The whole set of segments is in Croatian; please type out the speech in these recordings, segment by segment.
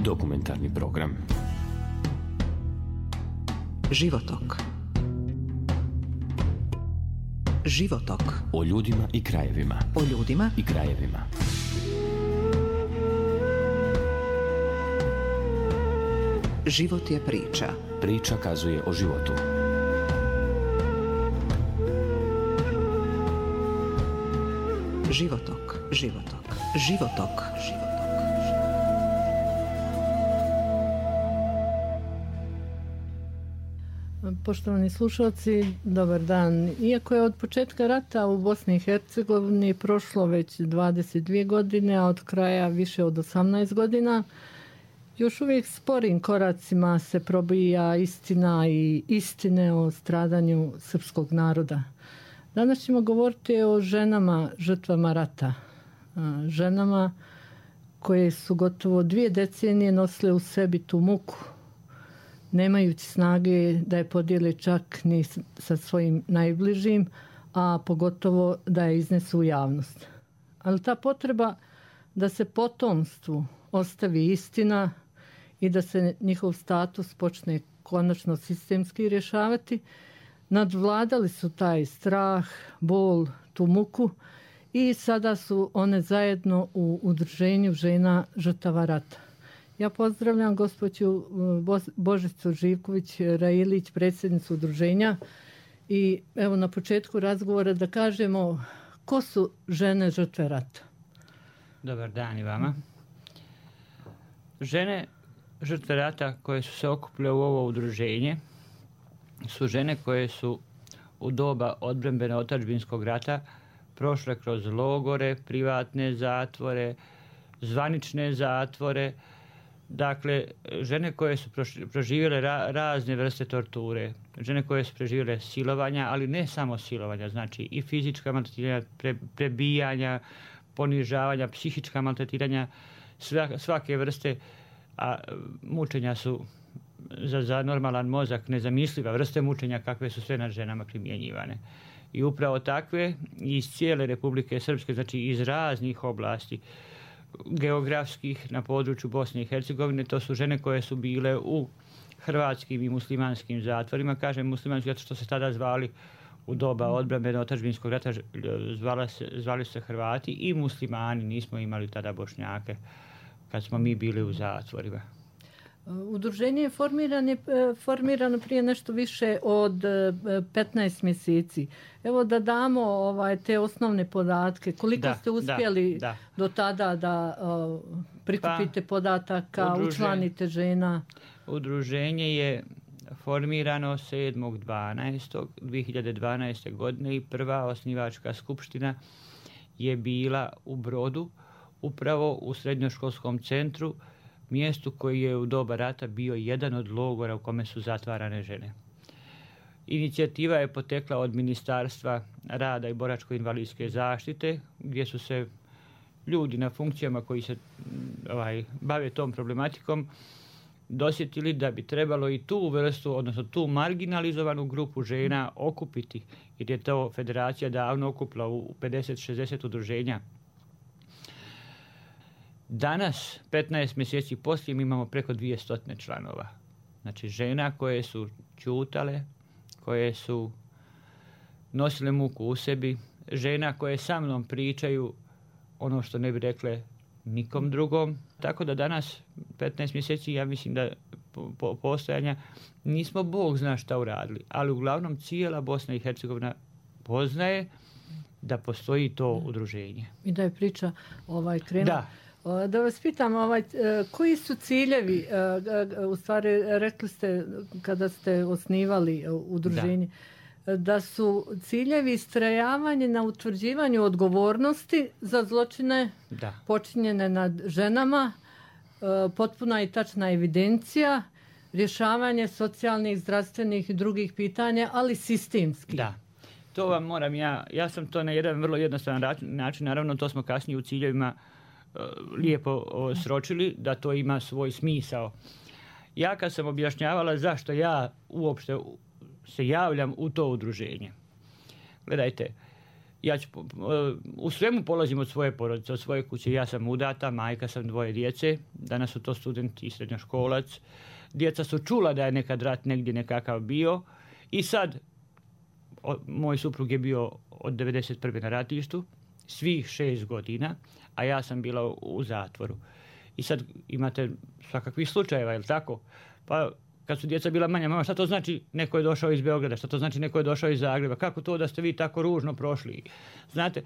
Dokumentarni program Životok. Životok. O ljudima i krajevima. O ljudima i krajevima. Život je priča. Priča kazuje o životu. Životok. Životok. Životok. Životok. Poštovani slušalci, dobar dan. Iako je od početka rata u Bosni i Hercegovini prošlo već 22 godine, a od kraja više od 18 godina, još uvijek sporim koracima se probija istina i istine o stradanju srpskog naroda. Danas ćemo govoriti o ženama žrtvama rata. Ženama koje su gotovo 2 decenije nosile u sebi tu muku, nemajući snage da je podijele čak ni sa svojim najbližim, a pogotovo da je iznesu u javnost. Ali ta potreba da se potomstvu ostavi istina i da se njihov status počne konačno sistemski rješavati, nadvladali su taj strah, bol, tu muku i sada su one zajedno u udruženju žena žrtava rata. Ja pozdravljam gospođu Božicu Živković-Railić, predsjednicu udruženja, i evo na početku razgovora da kažemo ko su žene žrtve rata. Dobar dan i vama. Žene žrtve rata koje su se okupile u ovo udruženje su žene koje su u doba odbrambeno otadžbinskog rata prošle kroz logore, privatne zatvore, zvanične zatvore. Dakle, žene koje su proživjele razne vrste torture, žene koje su preživjele silovanja, ali ne samo silovanja, znači i fizička maltretiranja, prebijanja, ponižavanja, psihička maltretiranja, svake vrste, a mučenja su za normalan mozak nezamisliva vrste mučenja kakve su sve nad ženama primjenjivane. I upravo takve iz cijele Republike Srpske, znači iz raznih oblasti geografskih na području Bosne i Hercegovine, to su žene koje su bile u hrvatskim i muslimanskim zatvorima. Kažem muslimanski zato što se tada zvali u doba odbrambeno otadžbinskog rata, zvali se Hrvati i muslimani, nismo imali tada Bošnjake kad smo mi bili u zatvorima. Udruženje je formirano prije nešto više od 15 mjeseci. Evo da damo te osnovne podatke. Koliko ste uspjeli do tada da prikupite podataka, učlanite žena? Udruženje je formirano 7.12.2012. godine i prva osnivačka skupština je bila u Brodu, upravo u srednjoškolskom centru, mjestu koji je u doba rata bio jedan od logora u kome su zatvarane žene. Inicijativa je potekla od Ministarstva rada i boračko-invalidske zaštite, gdje su se ljudi na funkcijama koji se bave tom problematikom dosjetili da bi trebalo i tu vrstu, odnosno tu marginalizovanu grupu žena okupiti, jer je to federacija davno okupila u 50-60 udruženja. Danas, 15 mjeseci poslije, mi imamo preko 200 članova. Znači žena koje su ćutale, koje su nosile muku u sebi, žena koje sa mnom pričaju ono što ne bi rekle nikom drugom. Tako da danas, 15 mjeseci, ja mislim da postojanja nismo Bog zna šta uradili, ali uglavnom cijela Bosna i Hercegovina poznaje da postoji to udruženje. I da je priča krenula. Da vas pitam, koji su ciljevi, u stvari rekli ste kada ste osnivali udruženje, da su ciljevi istrajavanje na utvrđivanju odgovornosti za zločine počinjene nad ženama, potpuna i tačna evidencija, rješavanje socijalnih, zdravstvenih i drugih pitanja, ali sistemski. Da. To vam moram ja sam to na jedan vrlo jednostavan način, naravno to smo kasnije u ciljevima lijepo sročili da to ima svoj smisao. Ja kad sam objašnjavala zašto ja uopšte se javljam u to udruženje. Gledajte, u svemu polazim od svoje porodice, od svoje kuće. Ja sam udata, majka sam, 2 djece. Danas su to studenti i srednjoškolac. Djeca su čula da je nekad rat negdje nekakav bio. I sad, moj suprug je bio od 1991. na ratištu, svih 6 godina, a ja sam bila u zatvoru. I sad imate svakakvih slučajeva, je li tako? Pa kad su djeca bila manja, mama, šta to znači neko je došao iz Beograda, šta to znači neko je došao iz Zagreba, kako to da ste vi tako ružno prošli? Znate,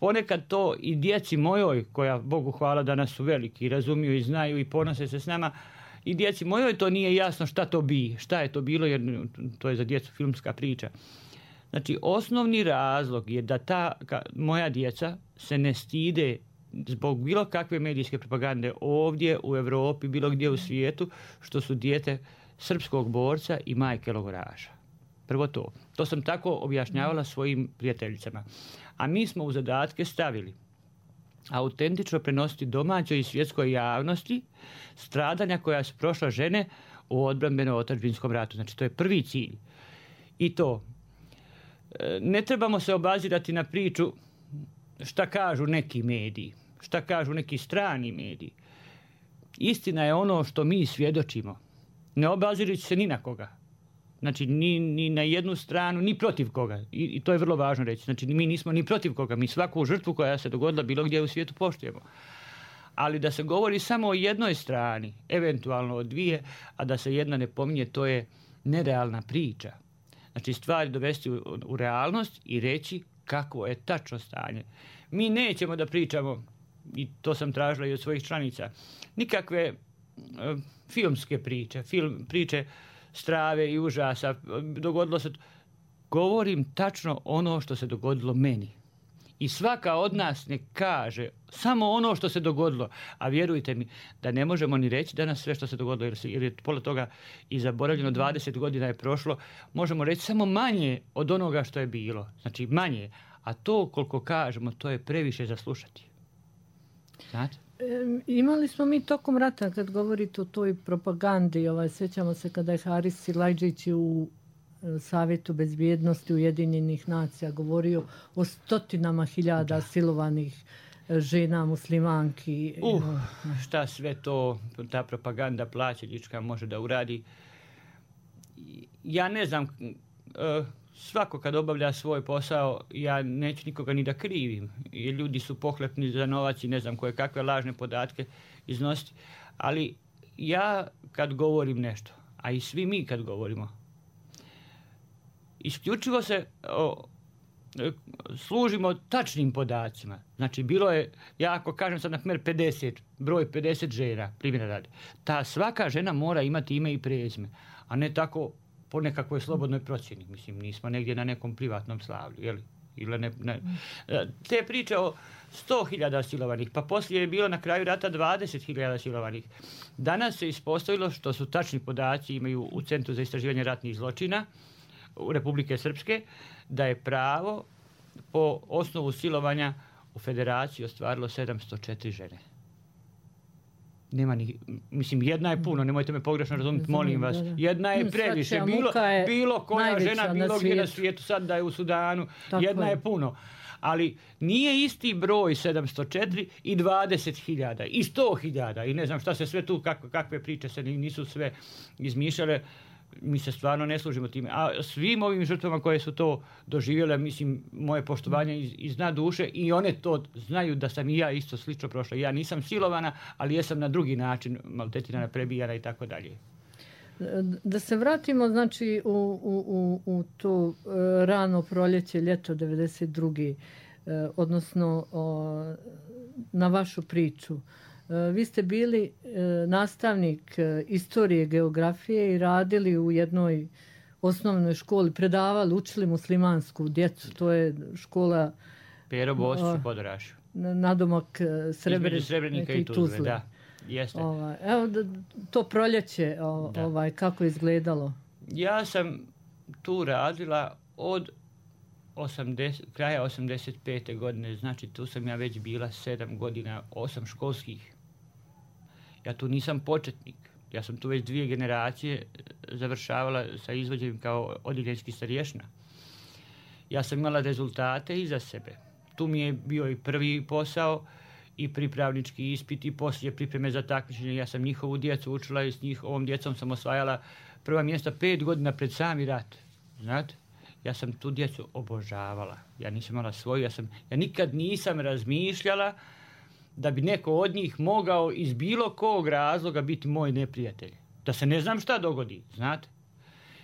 ponekad to i djeci mojoj, koja Bogu hvala danas su veliki, razumiju i znaju i ponose se s nama, i djeci mojoj to nije jasno šta je to bilo, jer to je za djecu filmska priča. Znači, osnovni razlog je da moja djeca se ne stide zbog bilo kakve medijske propagande ovdje u Europi, bilo gdje u svijetu, što su dijete srpskog borca i majke logoraša. Prvo to. To sam tako objašnjavala svojim prijateljicama. A mi smo u zadatke stavili autentično prenositi domaćoj i svjetskoj javnosti stradanja koja su prošla žene u odbrambeno-otadžbinskom ratu. Znači, to je prvi cilj. I to, ne trebamo se obazirati na priču šta kažu neki mediji, šta kažu neki strani mediji. Istina je ono što mi svjedočimo. Ne obazirajući se ni na koga. Znači, ni na jednu stranu, ni protiv koga. I to je vrlo važno reći. Znači, mi nismo ni protiv koga. Mi svaku žrtvu koja se dogodila bilo gdje u svijetu poštujemo. Ali da se govori samo o jednoj strani, eventualno o 2, a da se jedna ne pominje, to je nerealna priča. Znači, stvari dovesti u realnost i reći kakvo je tačno stanje. Mi nećemo da pričamo, i to sam tražila i od svojih članica, nikakve filmske priče, priče strave i užasa. Dogodilo se. Govorim tačno ono što se dogodilo meni. I svaka od nas ne kaže samo ono što se dogodilo. A vjerujte mi da ne možemo ni reći danas sve što se dogodilo, jer je pola toga i zaboravljeno, 20 godina je prošlo. Možemo reći samo manje od onoga što je bilo. Znači manje. A to koliko kažemo, to je previše za slušati. Znate? Imali smo mi tokom rata, kad govorite o toj propagandi, sjećamo se kada je Haris Silajdžić u Savjetu bezbjednosti Ujedinjenih nacija govorio o 100.000 silovanih žena muslimanki. Šta sve to ta propaganda plaćenička može da uradi. Ja ne znam, svako kad obavlja svoj posao, ja neću nikoga ni da krivim. Jer ljudi su pohlepni za novac i ne znam koje kakve lažne podatke iznositi. Ali ja kad govorim nešto, a i svi mi kad govorimo, isključivo se služimo tačnim podacima. Znači, bilo je, ja ako kažem sad na primjer 50, broj 50 žena, primjera radi, ta svaka žena mora imati ime i prezime, a ne tako po nekakvoj slobodnoj procjeni. Mislim, nismo negdje na nekom privatnom slavlju, jel? Ili ne. Te priče o 100.000 silovanih, pa poslije je bilo na kraju rata 20.000 silovanih. Danas se ispostavilo što su tačni podaci, imaju u Centru za istraživanje ratnih zločina u Republike Srpske, da je pravo po osnovu silovanja u Federaciji ostvarilo 704 žene. Nema ni, mislim, jedna je puno, nemojte me pogrešno razumjeti, molim vas. Jedna je previše, bilo koja žena, bilo gdje na svijetu, sad da je u Sudanu, jedna je puno. Ali nije isti broj 704 i 20.000 i 100.000 i ne znam šta se sve tu, kakve priče se nisu sve izmišljale. Mi se stvarno ne služimo time. A svim ovim žrtvama koje su to doživjele, mislim, moje poštovanje iz dna duše, i one to znaju da sam i ja isto slično prošla. Ja nisam silovana, ali jesam na drugi način maltretirana, prebijana i tako dalje. Da se vratimo, znači, u to rano proljeće, ljeto 92. Odnosno na vašu priču. Vi ste bili nastavnik istorije, geografije i radili u jednoj osnovnoj školi, predavali, učili muslimansku djecu. To je škola Pero Bosić u Podorašu. Nadomak Srebrenika i Tuzle. Da, jeste. Evo to proljeće, kako je izgledalo? Ja sam tu radila od kraja 85. godine, znači tu sam ja već bila 7 godina, 8 školskih. Ja tu nisam početnik, ja sam tu već 2 generacije završavala sa izvođenjem kao odjeljenski starješna. Ja sam imala rezultate iza sebe. Tu mi je bio i prvi posao i pripravnički ispit i poslije pripreme za takmičenje. Ja sam njihovu djecu učila i s njihovom djecom sam osvajala prva mjesta 5 godina pred sami rat. Znate? Ja sam tu djecu obožavala. Ja nisam imala svoju. Ja nikad nisam razmišljala da bi neko od njih mogao iz bilo kog razloga biti moj neprijatelj. Da se ne znam šta dogodi, znate?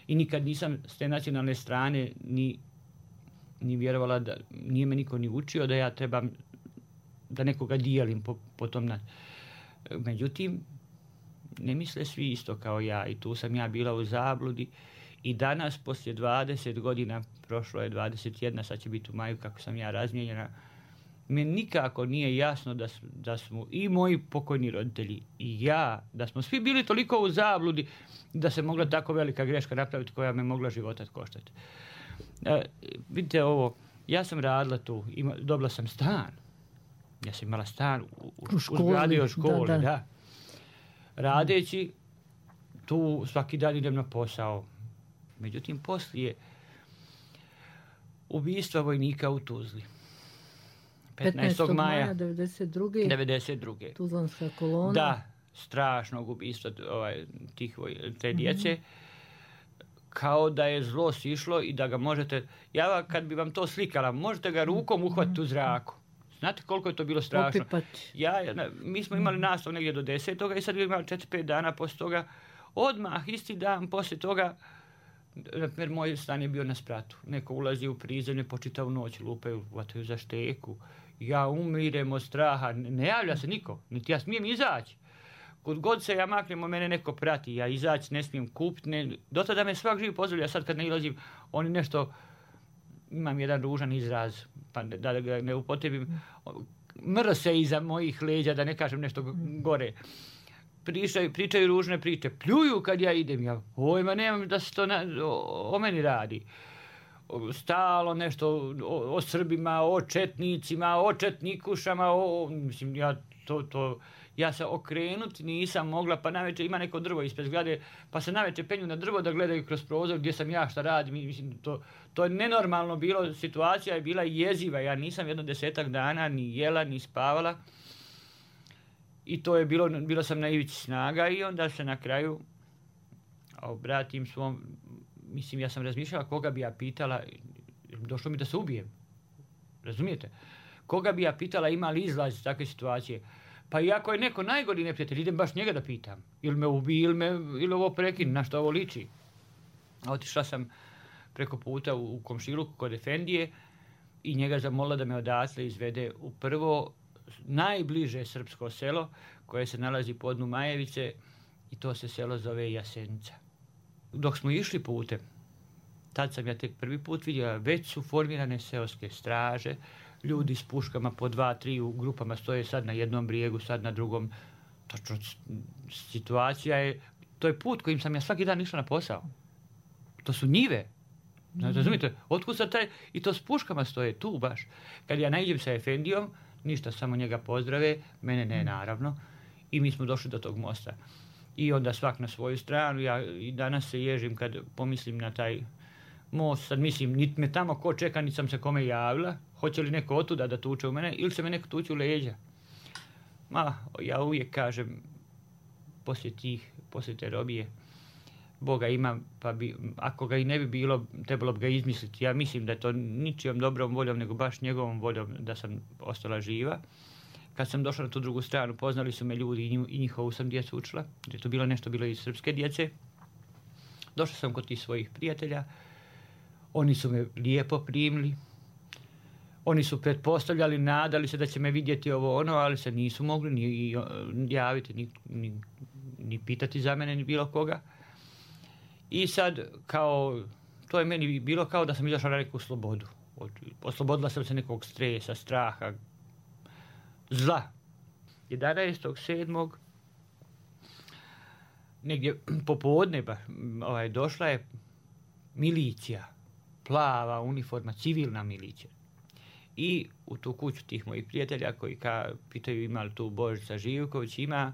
I nikad nisam s te nacionalne strane ni vjerovala da nije me niko ni učio da ja trebam da nekoga dijelim po tom. Međutim, ne misle svi isto kao ja i tu sam ja bila u zabludi i danas poslije 20 godina, prošlo je 21, sad će biti u maju kako sam ja razmijenjena, mi nikako nije jasno da smo i moji pokojni roditelji i ja, da smo svi bili toliko u zabludi da se mogla tako velika greška napraviti koja me mogla života koštati. Vidite ovo, ja sam radila tu, dobila sam stan. Ja sam imala stan u školi, da. Radeći tu svaki dan idem na posao. Međutim, poslije ubistva vojnika u Tuzli. 15. maja 92. Tuzlanska kolona. Da, strašnog ubistva te djece. Kao da je zlo sišlo i da ga možete, kad bi vam to slikala, možete ga rukom uhvatiti u zraku. Znate koliko je to bilo strašno? Mi smo imali nastav negdje do 10. i sad bi imali 4-5 dana poslije toga. Odmah, isti dan poslije toga, jer moj stan je bio na spratu. Neko ulazi u prizemlje, po čitavu noć lupaju, vataju za šteku. Ja umirem od straha, ne javlja se niko, niti ja smijem izaći. Kud god se ja maknem, mene neko prati, ja izaći ne smijem kupiti. Do tada me svak živi pozdravlja, sad kad ne ilazim, oni nešto, imam jedan ružan izraz, pa da ga ne upotrebim, mrse iza mojih leđa, da ne kažem nešto gore. Pričaju ružne priče, pljuju kad ja idem, ja nemam da se to o meni radi. Stalo nešto o Srbima, o četnicima, o četnikušama, mislim, ja se okrenuti nisam mogla, pa navečer ima neko drvo ispred zgrade, pa se navečer penju na drvo da gledaju kroz prozor gdje sam ja, šta radim. Mislim, to je nenormalno bilo, situacija je bila jeziva, ja nisam jedno 10 dana ni jela, ni spavala. I to je bilo sam na ivici snaga i onda se na kraju obratim svom, mislim, ja sam razmišljala koga bi ja pitala, došlo mi da se ubijem, razumijete? Koga bi ja pitala ima li izlaz iz takve situacije? Pa i ako je neko najgori neprijatelj, idem baš njega da pitam. Ili me ubije, ili ovo prekine, na što ovo liči. A otišla sam preko puta u komšiluku kod Efendije i njega zamolila da me odatle izvede u prvo najbliže srpsko selo koje se nalazi po dnu Majevice i to se selo zove Jasenica. Dok smo išli putem, tad sam ja tek prvi put vidjela, već su formirane seoske straže, ljudi s puškama po 2-3 u grupama stoje sad na jednom brijegu, sad na drugom. Točno, situacija je, to je put kojim sam ja svaki dan išla na posao. To su njive. Razumite, otkud sad taj, i to s puškama stoje tu baš. Kad ja naiđem sa Efendijom, ništa, samo njega pozdrave, mene ne naravno, i mi smo došli do tog mosta. I onda svak na svoju stranu, ja i danas se ježim kad pomislim na taj most, sad mislim, niti me tamo ko čeka, niti sam se kome javila, hoće li neko otuda da tuče u mene, ili se me neko tuče u leđa. Ja uvijek kažem, poslije te robije, Boga ima, pa ako ga i ne bi bilo, trebalo bi ga izmisliti. Ja mislim da je to ničijom dobrom voljom, nego baš njegovom voljom da sam ostala živa. Kad sam došla na tu drugu stranu, poznali su me ljudi i njihovu sam djecu učila, jer je to bilo iz srpske djece. Došla sam kod tih svojih prijatelja, oni su me lijepo primili, oni su pretpostavljali, nadali se da će me vidjeti ovo ono, ali se nisu mogli ni javiti, ni pitati za mene, ni bilo koga. I sad, to je meni bilo kao da sam izašla na neku slobodu. Oslobodila sam se nekog stresa, straha, zla. 11.7. negdje popodne došla je milicija, plava uniforma, civilna milicija. I u tu kuću tih mojih prijatelja koji pitaju ima li tu Božica Živković, ima.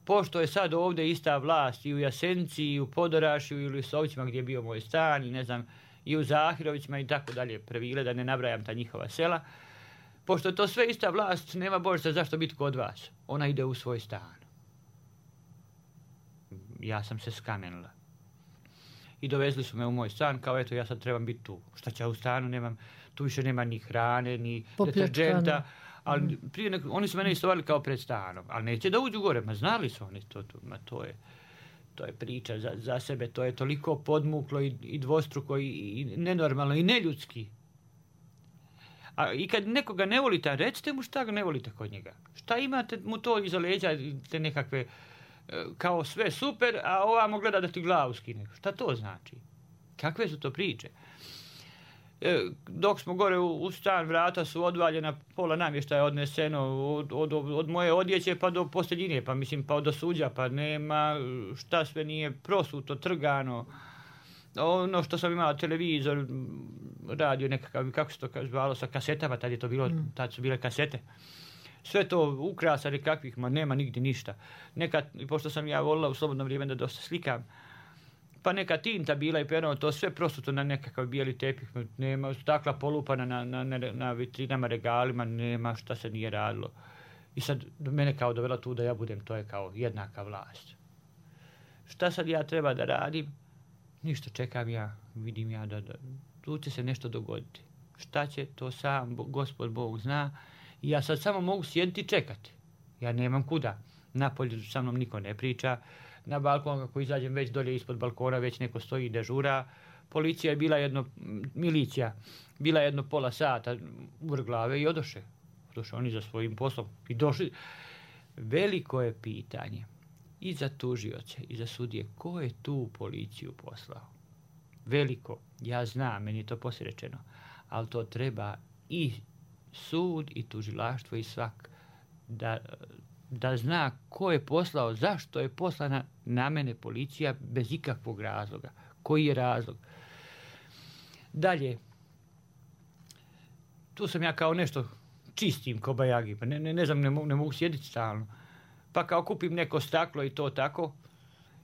Pošto je sad ovdje ista vlast i u Jasenici, i u Podorašju, ili u Sovcima gdje je bio moj stan, i ne znam, i u Zahirovićima i tako dalje Previle, da ne nabrajam ta njihova sela. Pošto je to sve ista vlast, nema Božica zašto biti kod vas. Ona ide u svoj stan. Ja sam se skamenila. I dovezli su me u moj stan, kao eto ja sad trebam biti tu. Šta će ja u stanu, nemam, tu više nema ni hrane, ni deterđenta. Ali prije oni su mene istovali kao pred stanom, ali neće da uđu gore, ma znali su oni to je priča za sebe, to je toliko podmuklo i dvostruko i nenormalno i neljudski. A i kad nekoga ne volite, recite mu šta ga ne volite kod njega. Šta imate mu to iza leđa, te nekakve, kao sve super, a ovamo gleda da ti glavu skine. Šta to znači? Kakve su to priče? Dok smo gore u stan, vrata su odvaljena, pola namještaja odneseno od moje odjeće pa do posteljine, pa mislim pa do suđa, pa nema, šta sve nije prosuto, trgano. Ono što sam imala, televizor, radio nekakav, kako se to zvalo, sa kasetama, tad je to bilo, tad su bile kasete. Sve to ukrasa nekakvih, ma nema nigdje ništa. Nekad, pošto sam ja volila u slobodno vrijeme da dosta slikam, pa neka tinta bila i perno, to sve prosuto na nekakav bijeli tepih, nema, stakla polupana na vitrinama, regalima, nema šta se nije radilo. I sad mene kao dovela tu da ja budem, to je kao jednaka vlast. Šta sad ja treba da radim? Ništa, čekam ja, vidim ja da tu će se nešto dogoditi. Šta će, to sam Gospod Bog zna. I ja sad samo mogu sjediti i čekati. Ja nemam kuda. Napolje sa mnom niko ne priča. Na balkon, ako izađem već dolje ispod balkona, već neko stoji i dežura. Policija je bila milicija, bila jedno pola sata u glave i odoše. Odoše oni za svojim poslom i došli. Veliko je pitanje i za tužioce i za sudije, ko je tu policiju poslao? Veliko, ja znam, meni je to poslije rečeno, ali to treba i sud i tužilaštvo i svak da zna ko je poslao, zašto je poslana na mene policija bez ikakvog razloga. Koji je razlog? Dalje, tu sam ja kao nešto čistim ko bajagi, pa ne znam, ne mogu sjediti stalno. Pa kao kupim neko staklo i to tako.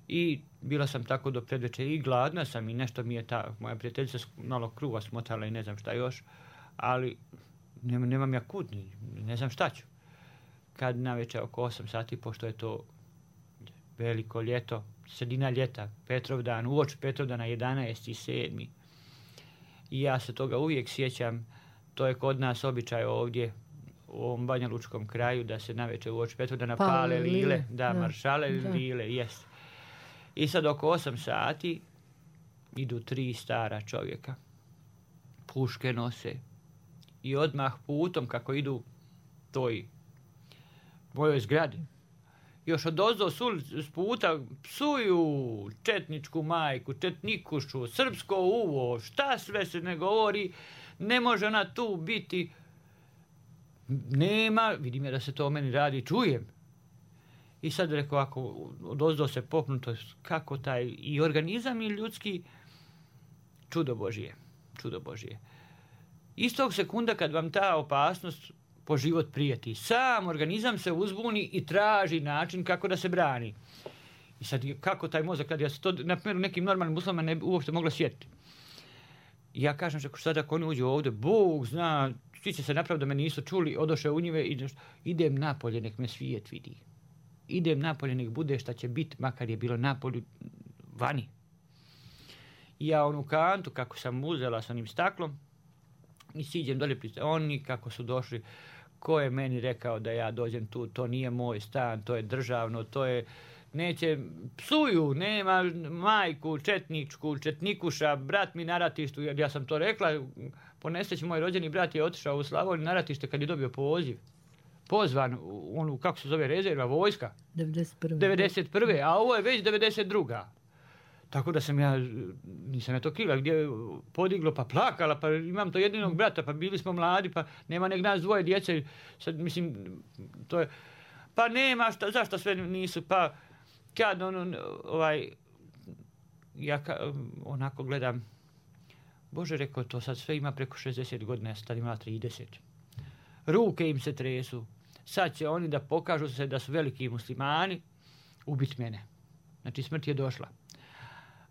I bila sam tako do predvečer i gladna sam i nešto mi je moja prijateljica malo kruva smotala i ne znam šta još. Ali nemam ja kud, ne znam šta ću. Kad navečer oko 8 sati, pošto je to veliko ljeto, sredina ljeta, Petrovdan, uoči Petrovdana 11.7. I ja se toga uvijek sjećam, to je kod nas običaj ovdje, u ovom Banjalučkom kraju, da se navečer uoči Petrovdana pale lile, da, maršale lile, jest. I sad oko 8 sati idu 3 stara čovjeka, puške nose i odmah putom kako idu toj mojoj zgradi. Još odozdo s puta psuju četničku majku, četnikušu, srpsko uvo, šta sve se ne govori, ne može ona tu biti. Nema, vidim ja da se to o meni radi, čujem. I sad rekao, ako odozdo se popnuto, kako taj i organizam i ljudski, čudo Božije. Istog sekunda kad vam ta opasnost po život prijeti, sam organizam se uzbuni i traži način kako da se brani. I sad kako taj mozak, kad ja se to, na primjer, nekim normalnim uslovima ne bi uopšte mogla sjetiti. I ja kažem, što sad ako oni uđu ovdje, Bog zna, svi će se napraviti da me nisu čuli, odoše u njive i idem napolje, nek me svijet vidi. Idem napolje, nek bude šta će biti, makar je bilo napolju vani. I ja onu kantu, kako sam uzela s onim staklom, i siđem dolje, oni kako su došli, ko je meni rekao da ja dođem tu, to nije moj stan, to je državno, to je, neće, psuju, nema majku, četničku, četnikuša, brat mi na ratištu, jer ja sam to rekla, po nesreći moj rođeni brat je otišao u Slavoniju na ratište kad je dobio poziv. Pozvan, onu, kako se zove, rezerva, vojska. 91. A ovo je već 92. Tako da nisam ja to krila, gdje je podiglo, pa plakala, pa imam to jedinog brata, pa bili smo mladi, pa nema nek nas dvoje djece, sad mislim, to je, pa nema, zašto sve nisu, pa kad ja onako gledam, Bože, rekao, to sad sve ima preko 60 godina, ja sam tad imala 30. Ruke im se tresu, sad će oni da pokažu se da su veliki muslimani, ubiti mene. Znači smrt je došla.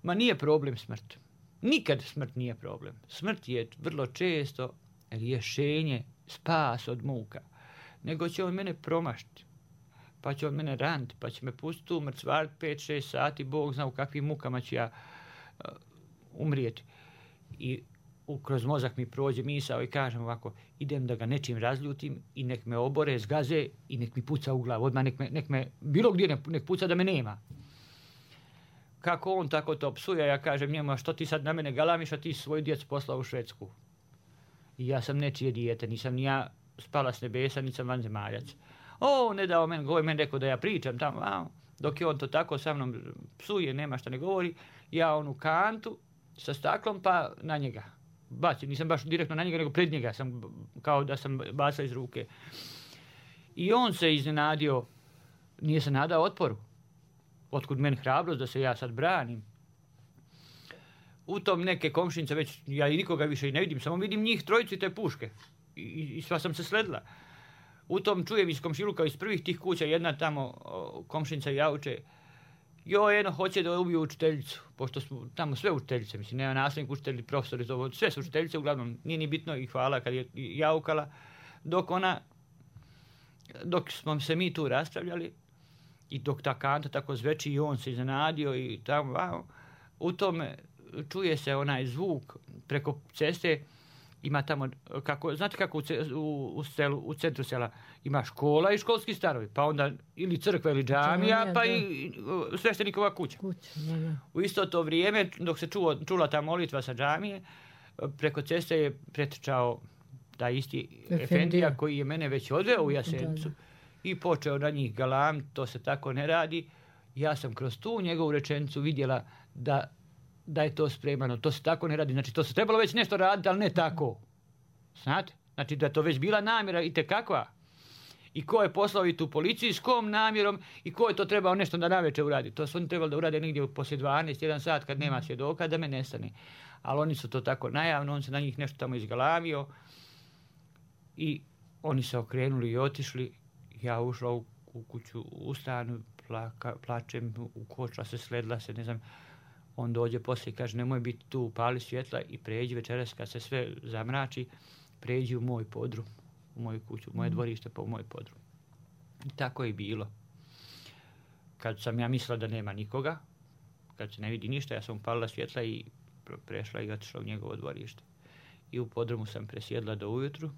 Ma nije problem smrt. nikad smrt nije problem. Smrt je vrlo često rješenje, spas od muka. Nego će on mene promašiti, pa će on mene raniti, pa će me pustiti tu mrcvariti 5-6 sati, Bog zna u kakvim mukama ću ja umrijeti. I kroz mozak mi prođe misao i kažem ovako, idem da ga nečim razljutim i nek me obore, zgaze i nek mi puca u glavu. Odmah nek me bilo gdje nek puca da me nema. Kako on tako to psuje, ja kažem njemu, a što ti sad na mene galamiš, a ti svoju djecu poslao u Švedsku. I ja sam nečije dijete, nisam ni ja spala s nebesa, nisam vanzemaljac. Ne dao meni rekao da ja pričam tamo, dok je on to tako sa mnom psuje, nema šta ne govori, ja onu kantu sa staklom pa na njega. Bacim, nisam baš direktno na njega, nego pred njega sam, kao da sam bacao iz ruke. I on se iznenadio, nije se nadao otporu. Otkud meni hrabrost da se ja sad branim. U tom neke komšinice već, ja i nikoga više i ne vidim, samo vidim njih trojicu i te puške. I sva sam se sledila. U tom čujem iz komšiluka, iz prvih tih kuća, jedna tamo komšinica jauče, hoće da ubiju učiteljicu, pošto smo tamo sve učiteljice, mislim, nema nastavnik, učitelji, profesori, sve su učiteljice, uglavnom, nije ni bitno i hvala kad je jaukala, dok smo se mi tu raspravljali i dok ta kanta tako zveči i on se iznenadio i tamo, u tome čuje se onaj zvuk preko ceste, ima tamo, znate kako u centru sela ima škola i školski starovi, pa onda ili crkva ili džamija, pa i sveštenikova kuća. U isto to vrijeme, dok se čula ta molitva sa džamije, preko ceste je pretrčao taj isti efendija koji je mene već odveo u Jasenicu i počeo na njih galam, to se tako ne radi. Ja sam kroz tu njegovu rečenicu vidjela da je to spremano, to se tako ne radi. Znači, to se trebalo već nešto raditi, ali ne tako. Znate? Znači, da je to već bila namjera i tekakva. I ko je poslao i tu policiju, s kom namjerom i ko je to trebao nešto da navečer uradi. To su oni trebali da urade negdje poslije 12, 1 sat kad nema svjedoka, da me nestane. Ali oni su to tako najavno, on se na njih nešto tamo izgalamio i oni se okrenuli i otišli. Ja ušla u kuću, u stanu, plačem, ukočila se, sledila se, ne znam. On dođe poslije i kaže, nemoj biti tu, upali svjetla i pređi večeras kad se sve zamrači, pređi u moj podrum, u moju kuću, u moje dvorište pa u moj podrum. I tako je bilo. Kad sam ja mislila da nema nikoga, kad se ne vidi ništa, ja sam upalila svjetla i prešla i otišla u njegovo dvorište. I u podrumu sam presjedla do ujutru.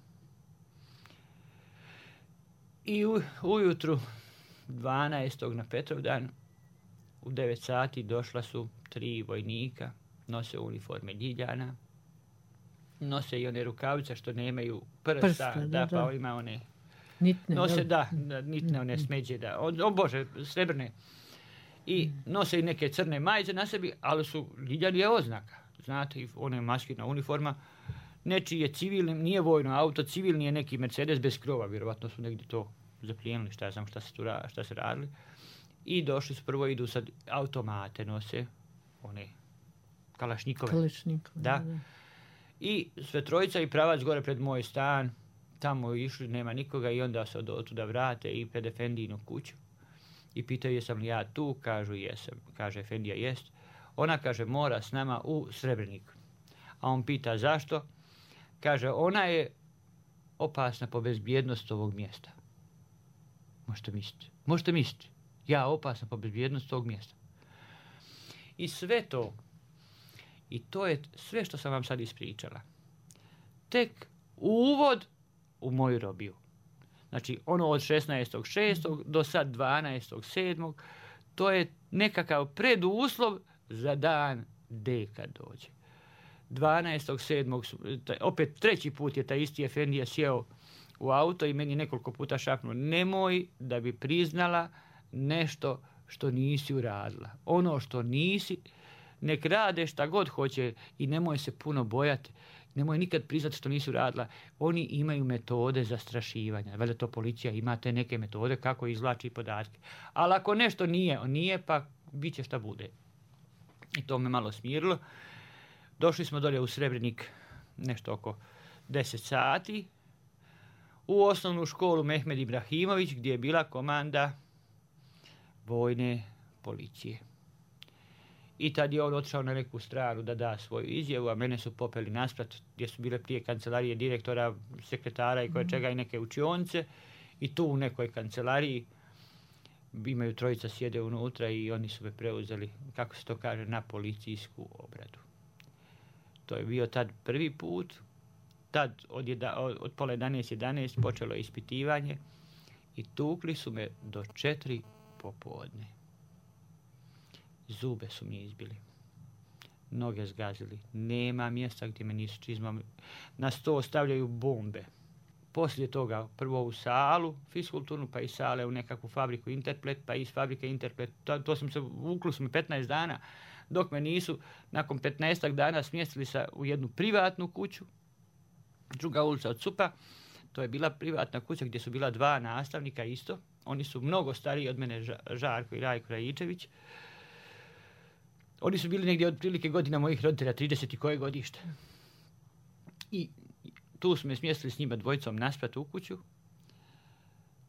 I ujutru 12. na Petrovdan u 9 sati došla su 3 vojnika, nose uniforme Ljiljana, nose i one rukavice što nemaju prsta, pa ima one nitne, nose, nitne one smeđe, Bože, srebrne. I nose i neke crne majice na sebi, ali su Ljiljani je oznaka, znate, one maskirna uniforma, nečiji je civilni, nije vojno auto, civilni je neki Mercedes bez krova, vjerovatno su negdje to zaplijenili, šta se radili. I došli su, prvo idu sad automate, nose one kalašnjikove. Da. I sve trojica i pravac gore pred moj stan, tamo išli, nema nikoga i onda se od tuda vrate i pred Efendijinu kuću. I pitaju jesam li ja tu, kažu jesam. Kaže Efendija jest. Ona kaže mora s nama u Srebrenik. A on pita zašto? Kaže ona je opasna po bezbjednost ovog mjesta. Možete misliti. Ja opasna po bezbjednost tog mjesta. I sve to, i to je sve što sam vam sad ispričala, tek uvod u moju robiju. Znači, ono od 16.6. do sad 12.7. to je nekakav preduslov za dan D kad dođe. 12.7. opet 3. put je taj isti Efendija sjeo u auto i meni nekoliko puta šapnuo, nemoj da bi priznala nešto što nisi uradila. Ono što nisi, nek rade šta god hoće i nemoj se puno bojati. Nemoj nikad priznati što nisi uradila. Oni imaju metode zastrašivanja. Valjda to policija ima te neke metode kako izvlači podatke. Ali ako nešto nije, pa bit će šta bude. I to me malo smirilo. Došli smo dolje u Srebrenik nešto oko 10 sati u osnovnu školu Mehmed Ibrahimović gdje je bila komanda vojne policije. I tad je on otišao na neku stranu da da svoju izjavu, a mene su popeli nasprat gdje su bile prije kancelarije direktora, sekretara i koje čega i neke učionice. I tu u nekoj kancelariji imaju trojica sjede unutra i oni su me preuzeli, kako se to kaže, na policijsku obradu. To je bio tad prvi put. Tad od pola 11 počelo je ispitivanje i tukli su me do 4 popodne. Zube su mi izbili. Noge zgazili. Nema mjesta gdje me nisu čizmom. Na sto stavljaju bombe. Poslije toga prvo u salu fiskulturnu, pa iz sale u nekakvu fabriku Interplet, pa iz fabrike Interplet. To sam se vuklo su mi 15 dana, dok me nisu nakon 15 dana smjestili u jednu privatnu kuću, druga ulica od Cupa. To je bila privatna kuća gdje su bila 2 nastavnika isto. Oni su mnogo stariji od mene, Žarko i Rajko Rajičević. Oni su bili negdje otprilike godina mojih roditelja, 30 i koje godište. I tu smo me smjestili s njima dvojicom nasprat u kuću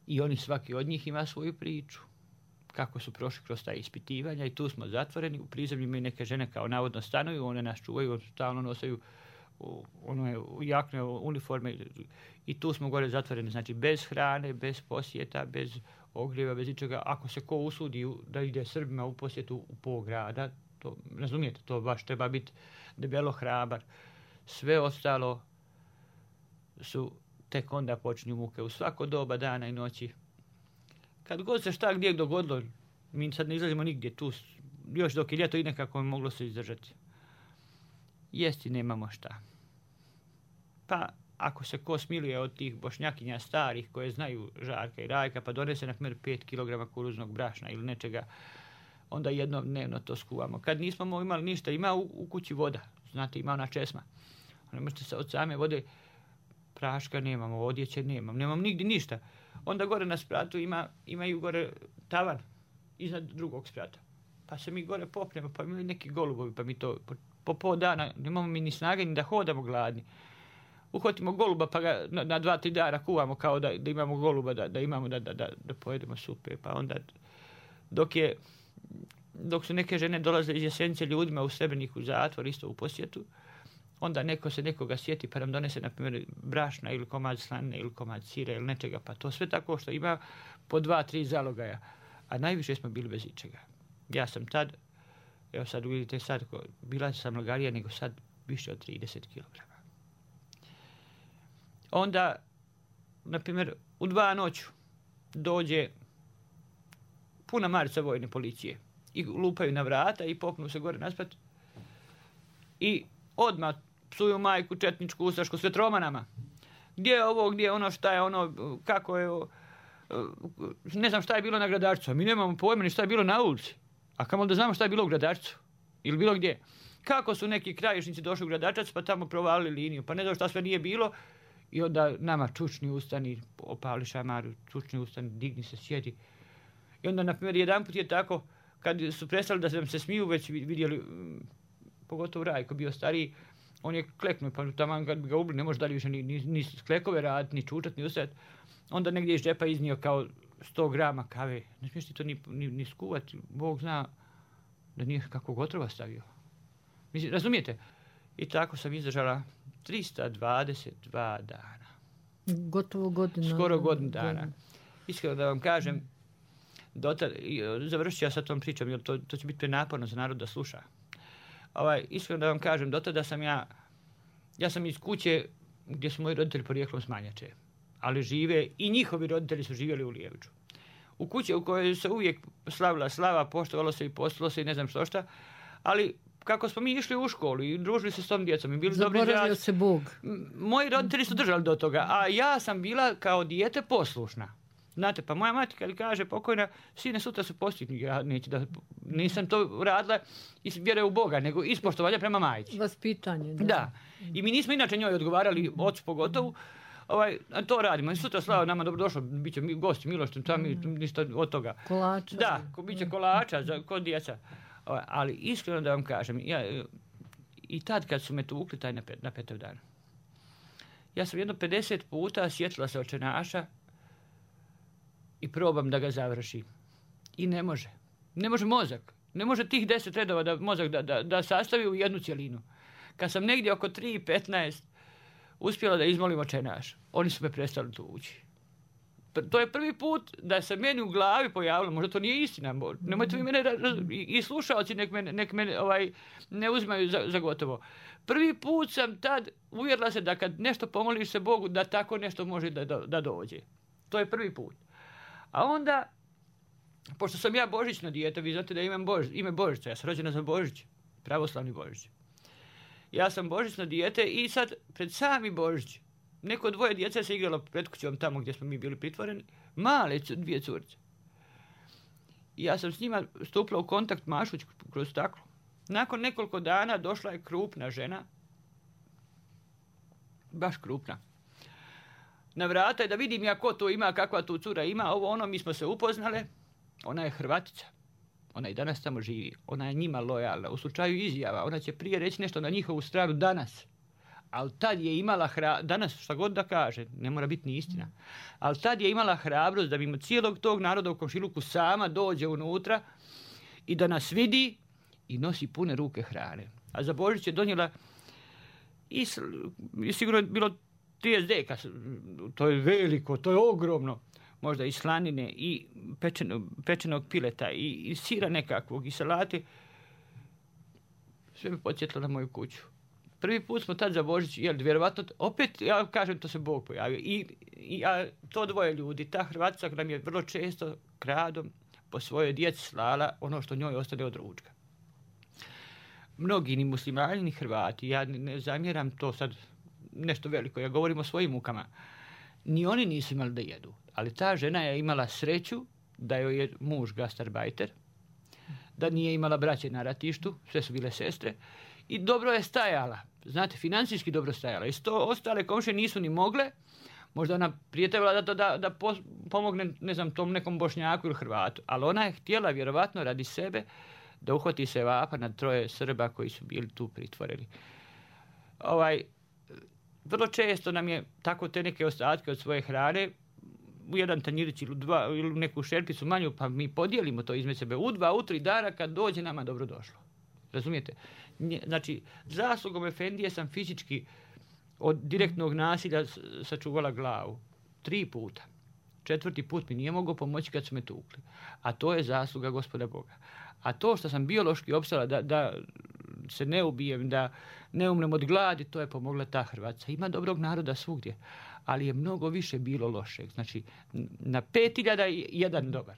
i oni svaki od njih ima svoju priču. Kako su prošli kroz ta ispitivanja i tu smo zatvoreni. U prizemlju imaju neke žene kao navodno stanuju, one nas čuvaju, stalno nosaju jakne uniforme i tu smo gore zatvoreni, znači bez hrane, bez posjeta, bez ogrijeva, bez ničega. Ako se ko usudi da ide Srbima u posjetu u pol grada, to, razumijete, to baš treba biti debelo hrabar. Sve ostalo su tek onda počinju muke u svako doba dana i noći. Kad god se šta gdje dogodilo, mi sad ne izlazimo nigdje tu, još dok je ljeto i nekako moglo se izdržati. Jesti nemamo šta. Pa ako se ko smiluje od tih bošnjakinja starih koje znaju Žarka i Rajka, pa donese na primjer 5 kg kukuruznog brašna ili nečega, onda jednom dnevno to skuvamo. Kad nismo imali ništa, ima u kući voda, znate, ima ona česma. Ne možete se od same vode, praška nemamo, odjeće nemam nigdje ništa. Onda gore na spratu imaju gore tavan iznad drugog sprata. Pa se mi gore popnemo, pa imaju neki golubovi, pa mi to po pol dana, nemamo mi ni snage ni da hodamo gladni. Uhvatimo goluba pa ga na 2-3 dana kuvamo kao da imamo goluba, da imamo da pojedemo supe. Pa onda dok su neke žene dolaze iz Jesenice ljudima u Srebreniku zatvor, isto u posjetu, onda neko se nekoga sjeti pa nam donese na primjer brašna ili komad slanine ili komad sira ili nečega, pa to sve tako što ima po 2-3 zalogaja, a najviše smo bili bez ičega. Ja sam tad, evo sad vidite sad, bila sam lagarija nego sad više od 30 kg. Onda, na primjer, u 2 noću dođe puna marica vojne policije i lupaju na vrata i popnu se gore nasprat i odmah psuju majku, četničku, ustašku, sve tromanama. Gdje je ovo, gdje je ono, šta je ono, kako je ovo, ne znam šta je bilo na Gradarcu, a mi nemamo pojma ni šta je bilo na ulici. A kamo da znamo šta je bilo u Gradarcu ili bilo gdje. Kako su neki krajišnici došli u Gradarčac pa tamo provalili liniju, pa ne znam šta sve nije bilo. I onda nama čučni ustani, opali šamaru, čučni ustani, digni se, sjedi. I onda, na primjer, jedanput je tako, kad su prestali da nam se smiju, već vidjeli, pogotovo Rajko bio stariji, on je kleknuo, pa tamo kad bi ga ubili, ne može dalje više ni klekove raditi, ni čučat, ni ustajati. Onda negdje iz džepa iznio kao 100 grama kave. Ne smiješ ti to ni skuvati, Bog zna da nije kakvog otrova stavio. Mislim, razumijete? I tako sam izdržala 322 dana. Gotovo godina. Skoro godinu dana. Iskreno da vam kažem, završit ću ja sa tom pričom, jer to će biti prenaporno za narod da sluša. Iskreno da vam kažem, do tada sam ja sam iz kuće gdje su moji roditelji porijeklom s Manjače, ali žive i njihovi roditelji su živjeli u Lijeviću. U kući u kojoj se uvijek slavila slava, poštovalo se i postilo se i ne znam što, ali kako smo mi išli u školu i družili se s tom djecom i bili dobri zaboravio se Bog. Moji roditelji su držali do toga, a ja sam bila kao dijete poslušna. Znate, pa moja mati kad kaže pokojna, sine sutra su postitni, ja nisam to radila iz vjere u Boga, nego iz poštovanja prema majci. Vaspitanje. Da. I mi nismo inače njoj odgovarali, ocu pogotovo, to radimo. I sutra slava nama dobrodošlo, bit će gosti, milošten, ništa od toga. Kolača. Da, bit će kolača kod djeca. Ali iskreno da vam kažem, i tad kad su me tukli taj na 5. dan, ja sam jedno 50 puta sjetila se očenaša i probam da ga završim. I ne može. Ne može mozak. Ne može tih 10 redova da mozak da sastavi u jednu cjelinu. Kad sam negdje oko 3:15 uspjela da izmolim Oče naš, oni su me prestali tući. To je prvi put da se meni u glavi pojavilo, možda to nije istina, nemojte vi mene, i slušalci nek mene ne uzimaju za gotovo. Prvi put sam tad uvjerila se da kad nešto pomoliš se Bogu, da tako nešto može da dođe. To je prvi put. A onda, pošto sam ja božićno dijete, vi znate da imam ime Božića, ja sam rođena za Božić, pravoslavni Božić. Ja sam božićno dijete i sad pred sami Božić, neko 2 djece se igralo pred kućom tamo gdje smo mi bili pritvoreni, male 2 curice. I ja sam s njima stupila u kontakt mašuć kroz staklo. Nakon nekoliko dana došla je krupna žena, baš krupna. Na vrata je da vidim ja ko to ima, kakva tu cura ima, mi smo se upoznale. Ona je Hrvatica. Ona i danas tamo živi. Ona je njima lojalna. U slučaju izjava, ona će prije reći nešto na njihovu stranu danas. Ali tad je imala danas šta god da kaže, ne mora biti ni istina. Ali tad je imala hrabrost da mimo cijelog tog naroda u komšiluku sama dođe unutra i da nas vidi i nosi pune ruke hrane. A za Božić je donijela i sigurno je bilo 30 deka, to je veliko, to je ogromno, možda i slanine i pečenog pileta i sira nekakvog i salate. Sve me podsjetilo na moju kuću. Prvi put smo tad za Božić jeli, vjerovatno, opet, ja kažem, to se Bog pojavio. A to 2 ljudi, ta Hrvatica nam je vrlo često kradom po svojoj djeci slala ono što njoj ostane od ručka. Mnogi ni muslimani ni Hrvati, ja ne zamjeram to sad nešto veliko, ja govorim o svojim mukama. Ni oni nisu imali da jedu, ali ta žena je imala sreću da joj je muž gastarbajter, da nije imala braće na ratištu, sve su bile sestre, i dobro je stajala, znate, financijski dobro stajala. I ostale komšije nisu ni mogle, možda ona prije trebala da pomogne, ne znam, tom nekom Bošnjaku ili Hrvatu, ali ona je htjela vjerovatno radi sebe da uhvati se vapa na 3 Srba koji su bili tu pritvoreni. Vrlo često nam je tako te neke ostatke od svoje hrane u jedan tanjirić ili 2 ili neku šerpicu manju, pa mi podijelimo to između sebe. U 2, u 3 dana kad dođe nama dobro došlo. Razumijete? Znači, zaslugom Efendije sam fizički od direktnog nasilja sačuvala glavu. 3 puta. 4. put mi nije mogao pomoći kad su me tukli. A to je zasluga Gospoda Boga. A to što sam biološki opstala da se ne ubijem, da ne umrem od gladi, to je pomogla ta Hrvatica. Ima dobrog naroda svugdje, ali je mnogo više bilo lošeg. Znači, na 5000 je jedan dobar.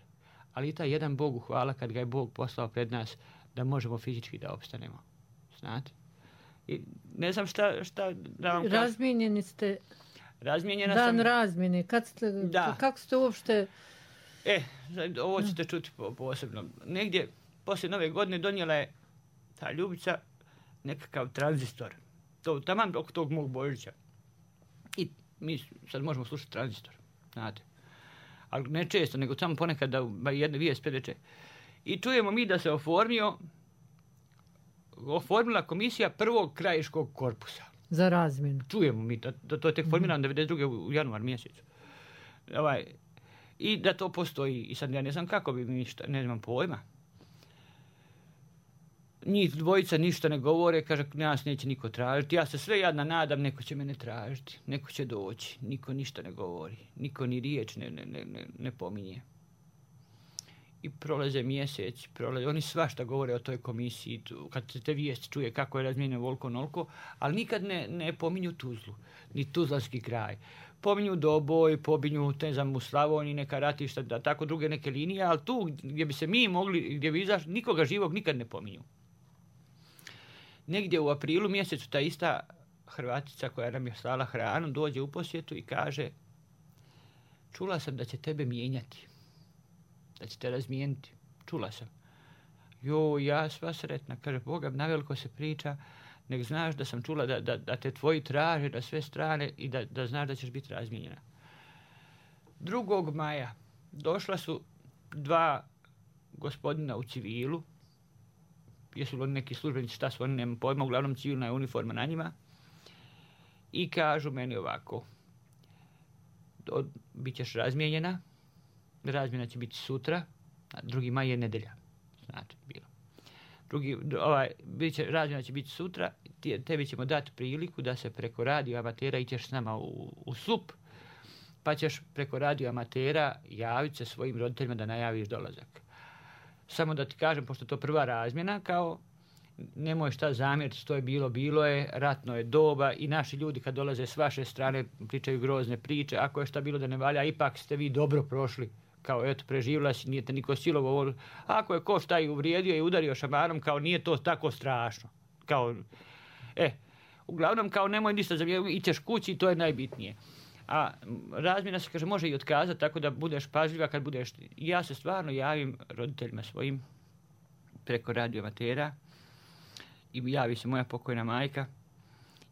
Ali i taj jedan Bogu hvala kad ga je Bog poslao pred nas da možemo fizički da opstanemo. Znate? I ne znam šta da vam kažem. Razmijenjeni ste. Razmijenjena Dan sam. razmjene. Kako ste uopšte... Ovo ćete čuti posebno. Negdje poslije Nove godine donijela je ta Ljubica nekakav tranzistor. To taman oko tog mog Božića. I mi sad možemo slušati tranzistor. Znate. Ali ne često, nego samo ponekad da jedne vijest predeče. I čujemo mi da se oformila komisija 1. krajiškog korpusa. Za razmjenu. Čujemo mi da to je tek formirano 92. u januar mjesecu. I da to postoji. I sad ja ne znam kako bi mi ne znam pojma. Njih 2 ništa ne govore, kaže, nas neće niko tražiti. Ja se sve jadna nadam, neko će mene tražiti, neko će doći. Niko ništa ne govori, niko ni riječ ne pominje. I prolaze mjeseci, oni svašta govore o toj komisiji, kad se te vijesti čuje kako je razmijenjeno volko nolko, ali nikad ne pominju Tuzlu, ni Tuzlanski kraj. Pominju Doboj, pominju u Slavoniji neka ratišta, da tako druge neke linije, ali tu gdje bi se mi mogli, gdje bi izašli, nikoga živog nikad ne pominju. Negdje u aprilu mjesecu ta ista Hrvatica koja nam je slala hranu dođe u posjetu i kaže, čula sam da će tebe mijenjati. Da će te razmijeniti. Čula sam. Ja sva sretna. Kaže, Boga, naveliko se priča, nek znaš da sam čula da te tvoji traže na sve strane i da znaš da ćeš biti razmijenjena. 2. maja došla su 2 gospodina u civilu. Jesu li oni neki službenici, šta su oni, nema pojma, uglavnom civilna je uniforma na njima. I kažu meni ovako, bit ćeš razmijenjena, razmjena će biti sutra, a 2. maj je nedelja, znate, bilo. razmjena će biti sutra, tebi ćemo dati priliku da se preko radio amatera ićeš s nama u SUP, pa ćeš preko radio amatera javiti se svojim roditeljima da najaviš dolazak. Samo da ti kažem, pošto je to prva razmjena, kao nemoj šta zamjeriti, to je bilo je, ratno je doba i naši ljudi kad dolaze s vaše strane pričaju grozne priče, ako je šta bilo da ne valja, ipak ste vi dobro prošli, kao eto preživjela si, nije te niko silovo, ako je ko šta i uvrijedio i udario šamarom, kao nije to tako strašno, kao, uglavnom kao nemoj ništa zamjeriti, ićeš kući i to je najbitnije. A razmjena se, kaže, može i otkazati, tako da budeš pažljiva kad budeš. Ja se stvarno javim roditeljima svojim preko radio amatera i javi se moja pokojna majka.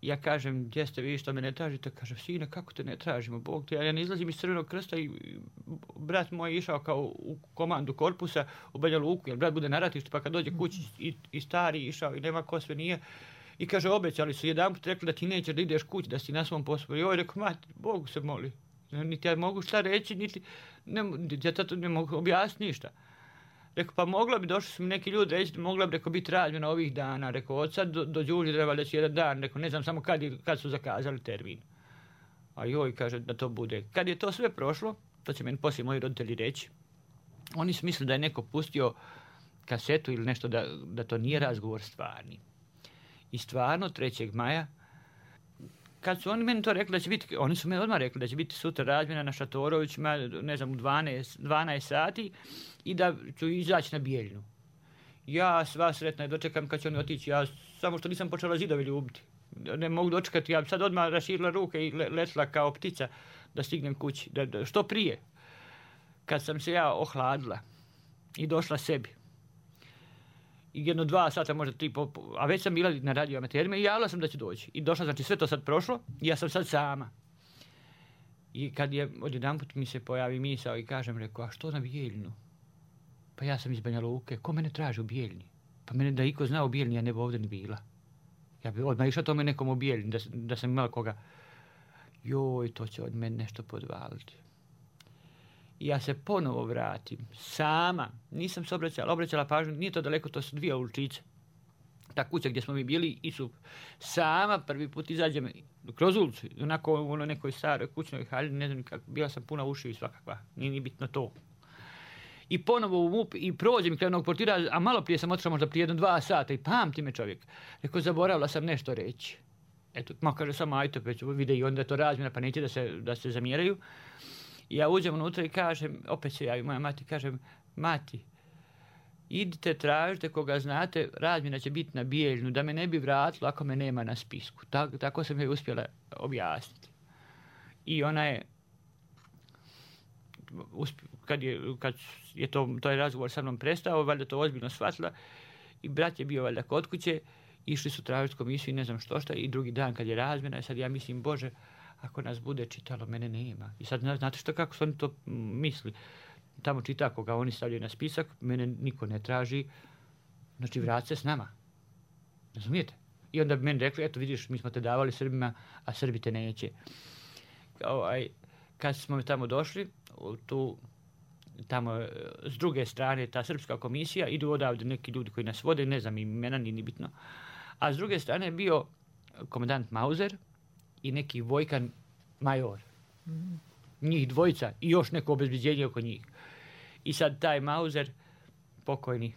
Ja kažem, gdje ste vi, što me ne tražite? Kaže, sine, kako te ne tražimo, Bog te, ja ne izlazim iz Crvenog krsta i brat moj išao kao u komandu korpusa u Banja Luku, jer brat bude na ratištu, pa kad dođe kući i stari išao i nema ko sve nije. I kaže, obećali su jedanput rekli da ti nećeš da ideš kući, da si na svom poslu. I ovaj rekao, mati, Bogu se moli. Niti ja mogu šta reći, ja to ne mogu objasniti ništa. Rekao, pa mogla bi, došli su mi neki ljudi reći, mogla bi, rekao, biti razmjena ovih dana. Rekao, od sad do Đurđe treba da će jedan dan. Rekao, ne znam samo kad su zakazali termin. A joj, kaže, da to bude. Kad je to sve prošlo, to će meni poslije moji roditelji reći, oni su mislili da je neko pustio kasetu ili nešto, da to nije razgovor stvarni. I stvarno, 3. maja, kad su oni meni to rekli da će biti, oni su meni odmah rekli da će biti sutra razmjena na Šatorovićima, ne znam, u 12 sati i da ću izaći na Bijeljinu. Ja sva sretna je dočekam kad će oni otići, ja samo što nisam počela zidove ljubiti. Ne mogu dočekati, ja sad odmah raširila ruke i letla kao ptica da stignem kući, što prije. Kad sam se ja ohladila i došla sebi, i 1-2 sata, možda 3, a već sam bila na radio amaterima i javila sam da ću doći. I došla, znači sve to sad prošlo i ja sam sad sama. I kad je odjedanput mi se pojavi misao i kažem, rekao, a što na Bijeljinu? Pa ja sam iz Banja Luke, ko mene traži u Bijeljini? Pa mene da iko zna u Bijeljini, ja ne bi ovdje ni bila. Ja bi odmah išla tome nekom u Bijeljini, da sam imala koga. Joj, to će od mene nešto podvaliti. I ja se ponovo vratim, sama, nisam se obraćala pažnju, nije to daleko, to su 2 uličice. Ta kuća gdje smo mi bili i su sama prvi put izađem kroz ulicu, onako u nekoj staroj kućnoj haljini, ne znam kako, bila sam puna ušiju i svakakva, nije ni bitno to. I ponovo u MUP i prođem i kraj onog portira, a malo prije sam otišla možda prije 1-2 sata i pamti me čovjek. Rekao, zaboravila sam nešto reći. Eto, kaže samo ajto, već vide i onda je to razmjena, pa neće da se zamjeraju. I ja uđem unutra i kažem, opet se javi moja mati, kažem, mati, idite, tražite koga znate, razmjena će biti na Bijeljinu, da me ne bi vratilo ako me nema na spisku. Tako sam joj uspjela objasniti. I ona je, kad je taj razgovor sa mnom prestao, valjda to ozbiljno shvatila i brat je bio valjda kod kuće, išli su tražiti komisiju i ne znam što i drugi dan kad je razmjena, sad ja mislim, Bože, ako nas bude čitalo, mene nema. I sad znate što, kako su oni to misli. Tamo čita koga oni stavljaju na spisak, mene niko ne traži, znači vrati se s nama. Razumijete? I onda bi meni rekli, eto vidiš, mi smo te davali Srbima, a Srbi te neće. Kad smo tamo došli, tamo s druge strane ta srpska komisija, idu odavde neki ljudi koji nas vode, ne znam imena, ni bitno. A s druge strane je bio komandant Mauzer i neki Vojkan major. Njih dvojica i još neko obezbeđenje oko njih. I sad taj Mauzer, pokojni,